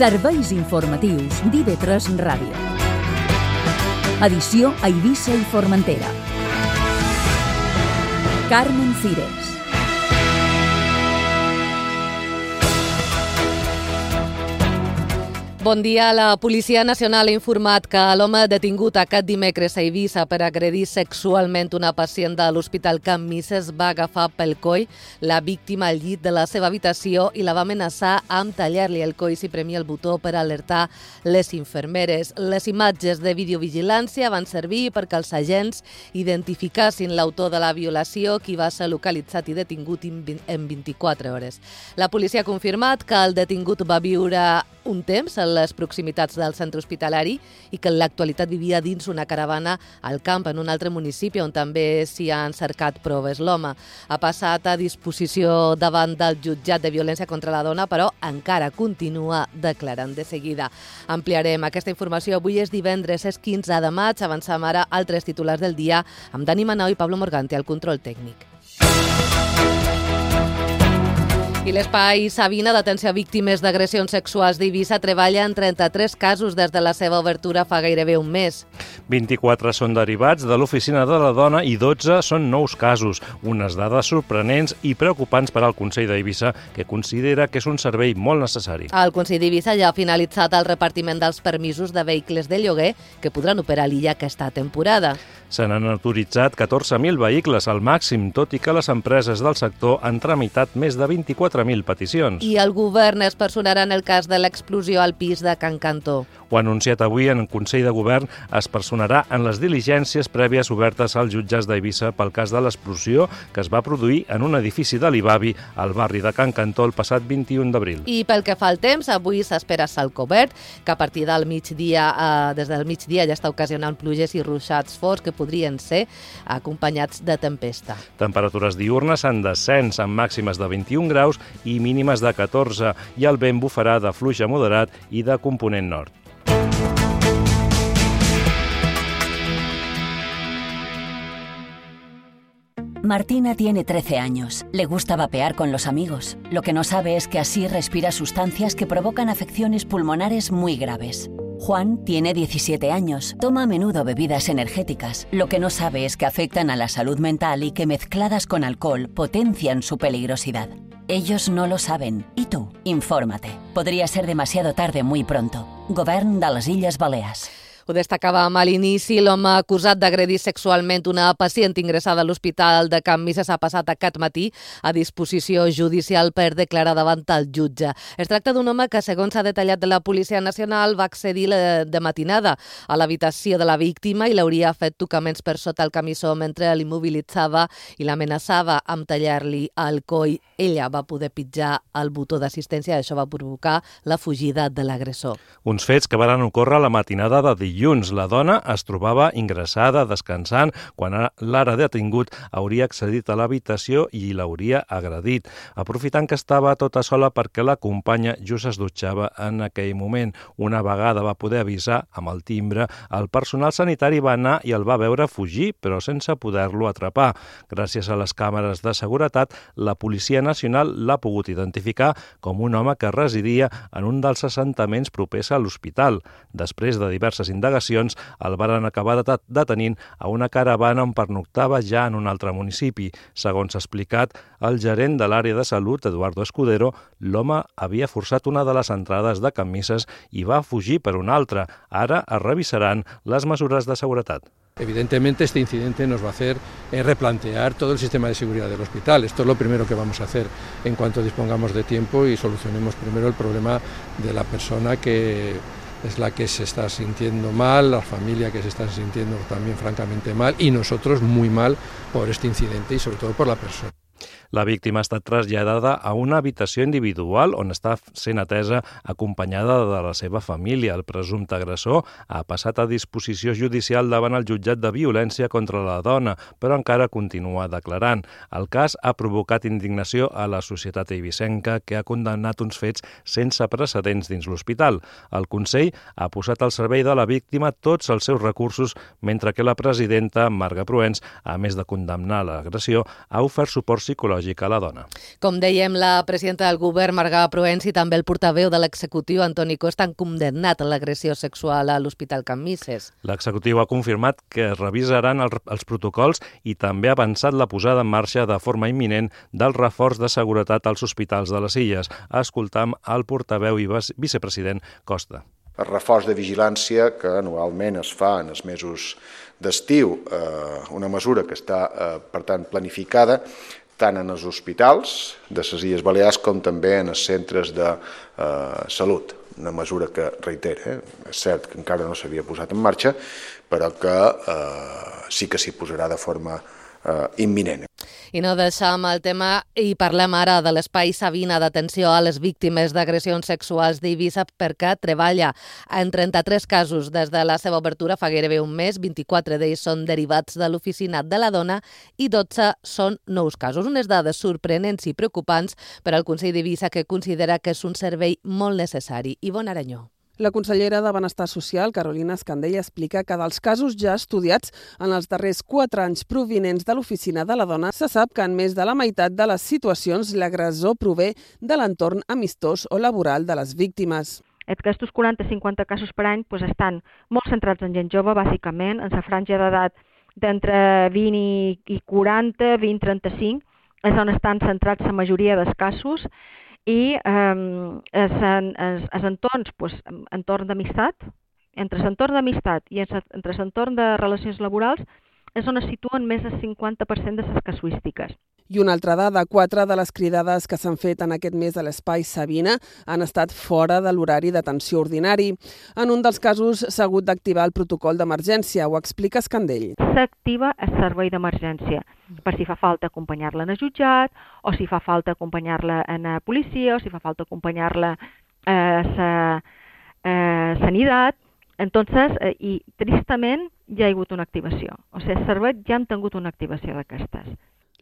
Serveis informatius d'IV3 Ràdio. Edició a Eivissa i Formentera. Carmen Cires. Bon dia. La Policia Nacional ha informat que l'home detingut aquest dimecres a Eivissa per agredir sexualment una pacient de l'Hospital Can Misses va agafar pel coll la víctima al llit de la seva habitació i la va amenaçar amb tallar-li el coll si premia el botó per alertar les infermeres. Les imatges de videovigilància van servir perquè els agents identificassin l'autor de la violació, qui va ser localitzat i detingut en 24 hores. La policia ha confirmat que el detingut va viure un temps a les proximitats del centre hospitalari i que en l'actualitat vivia dins una caravana al camp en un altre municipi on també s'hi han cercat proves. L'home ha passat a disposició davant del jutjat de violència contra la dona, però encara continua declarant. De seguida ampliarem aquesta informació. Avui és divendres, és 15 de maig. Avancem ara altres titulars del dia amb Dani Manau i Pablo Morgante al control tècnic. I l'Espai Sabina d'Atenció a Víctimes d'Agressions Sexuals d'Eivissa treballa en 33 casos des de la seva obertura fa gairebé un mes. 24 són derivats de l'Oficina de la Dona i 12 són nous casos. Unes dades sorprenents i preocupants per al Consell d'Eivissa, que considera que és un servei molt necessari. El Consell d'Eivissa ja ha finalitzat el repartiment dels permisos de vehicles de lloguer que podran operar a l'illa aquesta temporada. Se n'han autoritzat 14.000 vehicles al màxim, tot i que les empreses del sector han tramitat més de 24.000 peticions. I el govern es personarà en el cas de l'explosió al pis de Can Cantó. Ho ha anunciat avui en el Consell de Govern, es personarà en les diligències prèvies obertes als jutjats d'Eivissa pel cas de l'explosió que es va produir en un edifici de l'Ibavi al barri de Can Cantó el passat 21 d'abril. I pel que fa al temps, avui s'espera cel cobert, que a partir del migdia, des del migdia ja està ocasionant pluges i ruixats forts que podrien ser acompanyats de tempesta. Temperatures diürnes en descens amb màximes de 21 graus i mínimes de 14, i el vent bufarà de fluix a moderat i de component nord. Martina tiene 13 años. Le gusta vapear con los amigos. Lo que no sabe es que así respira sustancias que provocan afecciones pulmonares muy graves. Juan tiene 17 años. Toma a menudo bebidas energéticas. Lo que no sabe es que afectan a la salud mental y que mezcladas con alcohol potencian su peligrosidad. Ellos no lo saben. ¿Y tú? Infórmate. Podría ser demasiado tarde muy pronto. Govern de les Illes Balears. Ho destacàvem a l'inici. L'home acusat d'agredir sexualment una pacient ingressada a l'Hospital de Can Misses ha passat aquest matí a disposició judicial per declarar davant el jutge. Es tracta d'un home que, segons s'ha detallat de la Policia Nacional, va accedir de matinada a l'habitació de la víctima i l'hauria fet tocaments per sota el camissó mentre l'immobilitzava i l'amenaçava amb tallar-li el coll. Ella va poder pitjar el botó d'assistència i això va provocar la fugida de l'agressor. Uns fets que van ocórrer la matinada de dilluns. La dona es trobava ingressada, descansant, quan l'ara detingut hauria accedit a l'habitació i l'hauria agredit, aprofitant que estava tota sola perquè la companya just es dutxava en aquell moment. Una vegada va poder avisar amb el timbre, el personal sanitari va anar i el va veure fugir, però sense poder-lo atrapar. Gràcies a les càmeres de seguretat, la Policia Nacional l'ha pogut identificar com un home que residia en un dels assentaments propers a l'hospital. Després de diverses indagacions, el varen acabar detenint a una caravana on pernoctava ja en un altre municipi. Segons ha explicat el gerent de l'àrea de salut, Eduardo Escudero, l'home havia forçat una de les entrades de Can Misses i va fugir per una altra. Ara es revisaran les mesures de seguretat. Evidentemente este incidente nos va a hacer replantear todo el sistema de seguridad del hospital. Esto es lo primero que vamos a hacer en cuanto dispongamos de tiempo y solucionemos primero el problema de la persona que es la que se está sintiendo mal, la familia que se está sintiendo también francamente mal y nosotros muy mal por este incidente y sobre todo por la persona. La víctima ha estat traslladada a una habitació individual on està sent atesa acompanyada de la seva família. El presumpte agressor ha passat a disposició judicial davant el jutjat de violència contra la dona, però encara continua declarant. El cas ha provocat indignació a la societat eivissenca, que ha condemnat uns fets sense precedents dins l'hospital. El Consell ha posat al servei de la víctima tots els seus recursos, mentre que la presidenta, Marga Proens, a més de condemnar l'agressió, ha ofert suport psicològic psicològic a la dona. Com dèiem, la presidenta del govern, Marga Proens, i també el portaveu de l'executiu, Antoni Costa, han condemnat l'agressió sexual a l'Hospital Can Misses. L'executiu ha confirmat que revisaran els protocols i també ha avançat la posada en marxa de forma imminent del reforç de seguretat als hospitals de les Illes. Escoltam el portaveu i vicepresident Costa. El reforç de vigilància que anualment es fa en els mesos d'estiu, una mesura que està, per tant, planificada tant en els hospitals de les Illes Balears com també en els centres de salut. Una mesura que, reitera, és cert que encara no s'havia posat en marxa, però que sí que s'hi posarà de forma imminent. I no deixam el tema i parlem ara de l'Espai Sabina d'atenció a les víctimes d'agressions sexuals d'Eivissa, perquè treballa en 33 casos des de la seva obertura fa gairebé un mes. 24 d'ells són derivats de l'Oficina de la Dona i 12 són nous casos. Unes dades sorprenents i preocupants per al Consell d'Eivissa, que considera que és un servei molt necessari. Ivonne Aranyó. La consellera de Benestar Social, Carolina Escandell, explica que dels casos ja estudiats en els darrers 4 anys provinents de l'Oficina de la Dona, se sap que en més de la meitat de les situacions l'agressor prové de l'entorn amistós o laboral de les víctimes. Aquests 40-50 casos per any estan molt centrats en gent jove, bàsicament, en la franja d'edat d'entre 20 i 40, 20-35, és on estan centrats la majoria dels casos, i els entorns, entorn d'amistat, entre l'entorn d'amistat i entre l'entorn de relacions laborals, és on es situen més del 50% de les casuístiques. I una altra dada, 4 de les cridades que s'han fet en aquest mes a l'Espai Sabina han estat fora de l'horari d'atenció ordinari. En un dels casos s'ha hagut d'activar el protocol d'emergència, ho explica Escandell. S'activa el servei d'emergència, per si fa falta acompanyar-la en el jutjat, o si fa falta acompanyar-la en la policia, o si fa falta acompanyar-la a la sanitat. Entonces, i tristament ja hi ha hagut una activació. O sigui, els serveis ja han tingut una activació d'aquestes.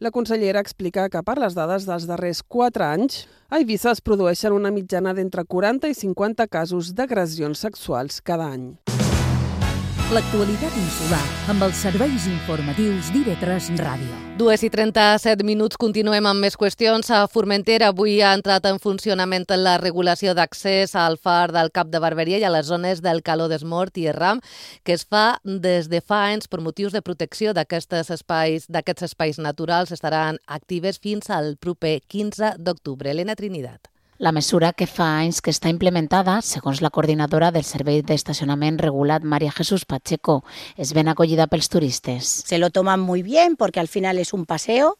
La consellera explica que per les dades dels darrers 4 anys, a Eivissa es produeixen una mitjana d'entre 40 i 50 casos d'agressions sexuals cada any. L'actualitat insular amb els serveis informatius d'IV3 Ràdio. 2:37, continuem amb més qüestions. A Formentera avui ha entrat en funcionament la regulació d'accés al far del Cap de Barberia i a les zones del Caló d'Esmort i Erram, que es fa des de fa anys per motius de protecció d'aquests espais naturals. Estaran actives fins al proper 15 d'octubre. Elena Trinidad. La mesura, que fa anys que està implementada, segons la coordinadora del Servei d'Estacionament Regulat, María Jesús Pacheco, és ben acollida pels turistes. Se lo toman muy bien porque al final es un paseo,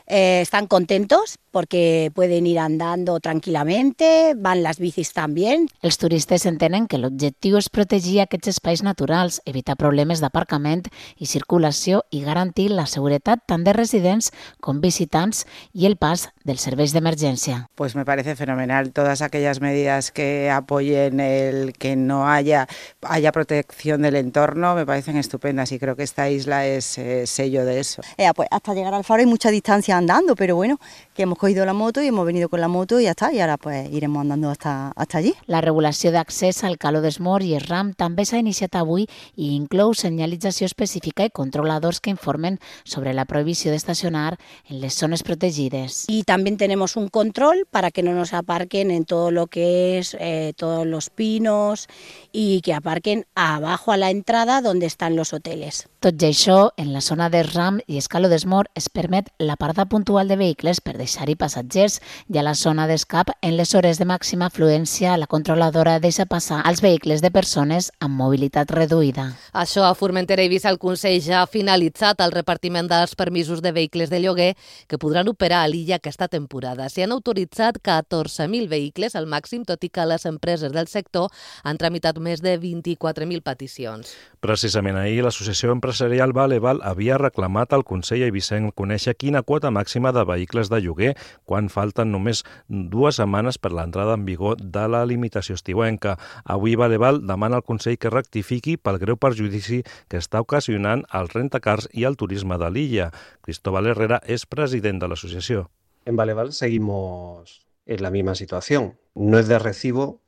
están contentos porque pueden ir andando tranquilamente, van las bicis también. Els turistes entenen que l'objectiu és protegir aquests espais naturals, evitar problemes d'aparcament i circulació i garantir la seguretat tant de residents com visitants i el pas dels serveis d'emergència. Pues me parece fenomenal todas aquellas medidas que apoyen el que no haya protección del entorno, me parecen estupendas y creo que esta isla es sello de eso. Pues hasta llegar al faro hay mucha distancia andando, pero bueno, que hemos cogido la moto y hemos venido con la moto y ya está, y ahora pues iremos andando hasta allí. La regulació d'accés al Caló d'Esmort i Erram també s'ha iniciat avui i inclou senyalització específica i controladors que informen sobre la prohibició d'estacionar en les zones protegides. Y también tenemos un control para que no nos aparquen en todo lo que es todos los pinos y que aparquen abajo a la entrada donde están los hoteles. Tot i això, en la zona d'Erram i Caló d'Esmort es permet la parada puntual de vehicles per deixar-hi passatgers i a la zona d'escap, en les hores de màxima afluència, la controladora deixa passar els vehicles de persones amb mobilitat reduïda. Això a Formentera i Eivissa, el Consell ja ha finalitzat el repartiment dels permisos de vehicles de lloguer que podran operar a l'illa aquesta temporada. S'hi han autoritzat 14.000 vehicles al màxim, tot i que les empreses del sector han tramitat més de 24.000 peticions. Precisament ahir, l'associació empresarial Valeval havia reclamat al Consell eivissenc conèixer quina quota màxima de vehicles de lloguer quan falten només 2 setmanes per l'entrada en vigor de la limitació estiuenca. Avui Valeval demana al Consell que rectifiqui pel greu perjudici que està ocasionant el rentacars i el turisme de l'illa. Cristóbal Herrera és president de l'associació. En Valeval seguimos en la misma situación. No es de recibo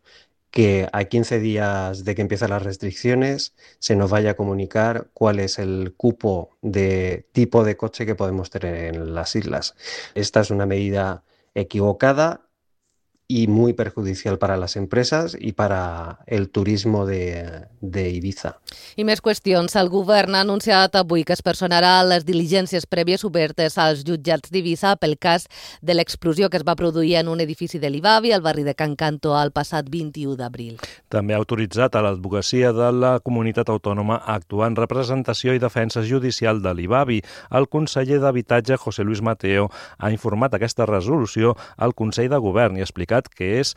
que a 15 días de que empiezan las restricciones se nos vaya a comunicar cuál es el cupo de tipo de coche que podemos tener en las islas. Esta es una medida equivocada y muy perjudicial para las empresas i para el turismo de Ibiza. I més qüestions. El govern ha anunciat avui que es personarà les diligències prèvies obertes als jutjats d'Ibiza pel cas de l'explosió que es va produir en un edifici de l'Ibavi al barri de Can Canto el passat 21 d'abril. També ha autoritzat a l'advocacia de la comunitat autònoma a actuar en representació i defensa judicial de l'Ibavi. El conseller d'Habitatge, José Luis Mateo, ha informat aquesta resolució al Consell de Govern i ha explicat que és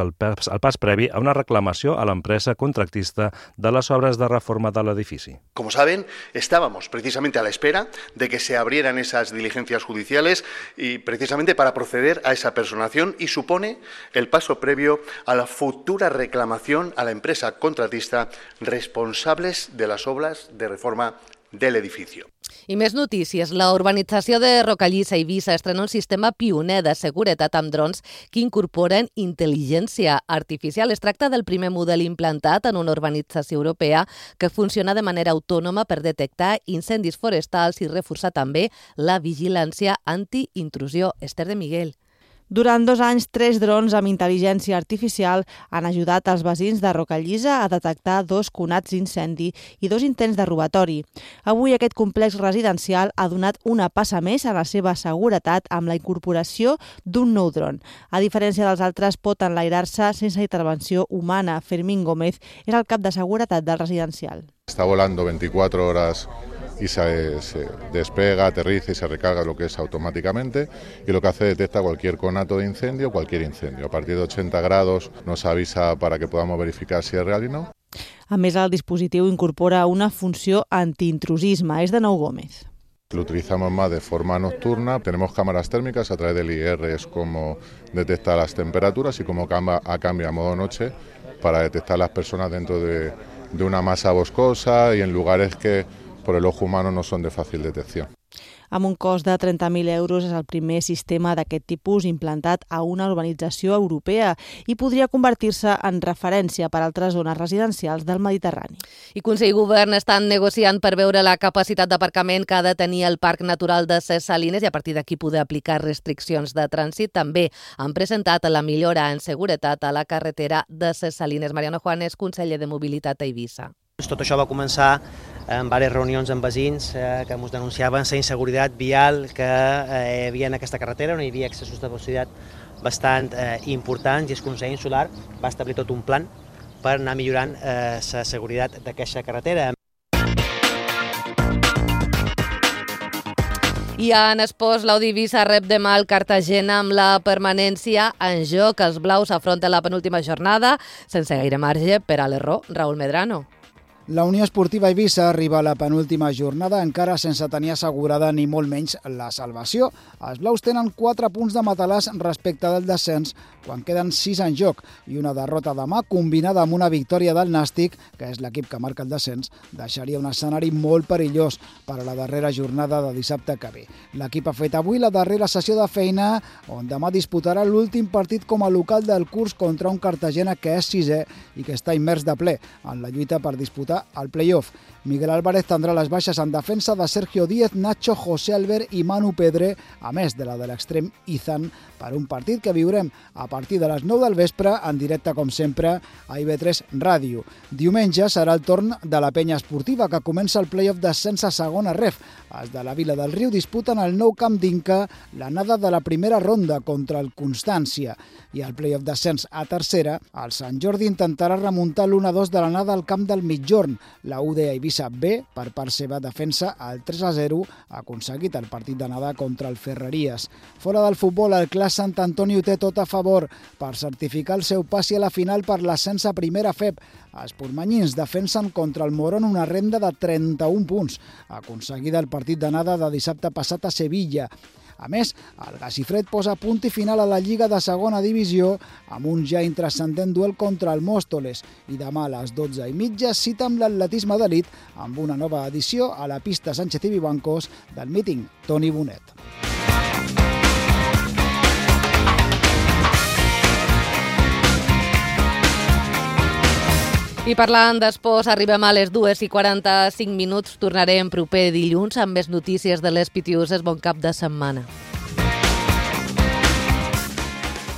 el pas previ a una reclamació a l'empresa contractista de les obres de reforma de l'edifici. Como saben, estábamos precisamente a la espera de que se abrieran esas diligencias judiciales y precisamente para proceder a esa personación y supone el paso previo a la futura reclamación a la empresa contratista responsables de las obras de reforma del edificio. I més notícies. La urbanització de Rocallissa a Eivissa estrena un sistema pioner de seguretat amb drons que incorporen intel·ligència artificial. Es tracta del primer model implantat en una urbanització europea que funciona de manera autònoma per detectar incendis forestals i reforçar també la vigilància anti-intrusió. Esther de Miguel. Durant 2 anys, 3 drons amb intel·ligència artificial han ajudat els veïns de Rocallissa a detectar 2 conats d'incendi i 2 intents de robatori. Avui aquest complex residencial ha donat una passa més a la seva seguretat amb la incorporació d'un nou dron. A diferència dels altres, pot enlairar-se sense intervenció humana. Fermín Gómez és el cap de seguretat del residencial. Está volando 24 horas y se despega, aterriza y se recarga lo que es automáticamente, y lo que hace detecta cualquier conato de incendio, cualquier incendio. A partir de 80 grados nos avisa para que podamos verificar si es real y no. A més, el dispositiu incorpora una funció antiintrusisme. És de Nou Gómez. Lo utilizamos más de forma nocturna, tenemos cámaras térmicas, a través del IR es como detecta las temperaturas y como cambia a modo noche para detectar las personas dentro de una masa boscosa y en lugares que por el ojo humano no son de fàcil detecció. Amb un cost de 30.000 euros és el primer sistema d'aquest tipus implantat a una urbanització europea i podria convertir-se en referència per a altres zones residencials del Mediterrani. I Consell i Govern estan negociant per veure la capacitat d'aparcament que ha de tenir el Parc Natural de Ses Salines i a partir d'aquí poder aplicar restriccions de trànsit. També han presentat la millora en seguretat a la carretera de Ses Salines. Mariano Juanes, conseller de Mobilitat a Eivissa. Tot això va començar en diverses reunions amb veïns que ens denunciaven la inseguretat vial que hi havia en aquesta carretera, on hi havia excessos de velocitat bastant importants, i el Consell Insular va establir tot un plan per anar millorant la seguretat d'aquesta carretera. I en esports, l'Audivisa rep demà el Cartagena amb la permanència en joc. Els blaus afronten la penúltima jornada sense gaire marge per a l'error. Raúl Medrano. La Unió Esportiva Eivissa arriba a la penúltima jornada encara sense tenir assegurada ni molt menys la salvació. Els blaus tenen 4 punts de matalàs respecte del descens quan queden 6 en joc, i una derrota demà combinada amb una victòria del Nàstic, que és l'equip que marca el descens, deixaria un escenari molt perillós per a la darrera jornada de dissabte que ve. L'equip ha fet avui la darrera sessió de feina, on demà disputarà l'últim partit com a local del curs contra un Cartagena que és 6è i que està immers de ple en la lluita per disputar al play-off. Miguel Álvarez tindrà les baixes en defensa de Sergio Díez, Nacho, José Albert i Manu Pedre, a més de la de l'extrem Izan, per un partit que viurem a partir de les 9 del vespre, en directe, com sempre, a IB3 Ràdio. Diumenge serà el torn de la penya esportiva, que comença el play-off d'ascens a segona ref. Els de la Vila del Riu disputen al nou camp d'Inca l'anada de la primera ronda contra el Constància. I al play-off d'ascens a tercera, el Sant Jordi intentarà remuntar l'1-2 de l'anada al camp del Mitjorn. La UD Eivissa B, per part seva, defensa el 3-0 aconseguit el partit d'anada contra el Ferreries. Fora del futbol, el Clas Sant Antoni ho té tot a favor per certificar el seu passi a la final per l'ascens a primera FEP. Els portmanyins defensen contra el Morón una renda de 31 punts, aconseguida el partit d'anada de dissabte passat a Sevilla. A més, el Gacifred posa punt i final a la Lliga de segona divisió amb un ja intranscendent duel contra el Móstoles, i demà a les 12:30 cita amb l'atletisme d'elit amb una nova edició a la pista Sánchez i Vivancos del míting Toni Bonet. I parlant d'esports, arribem a les 2:45. Tornarem proper dilluns amb més notícies de les Pitiuses. Bon cap de setmana.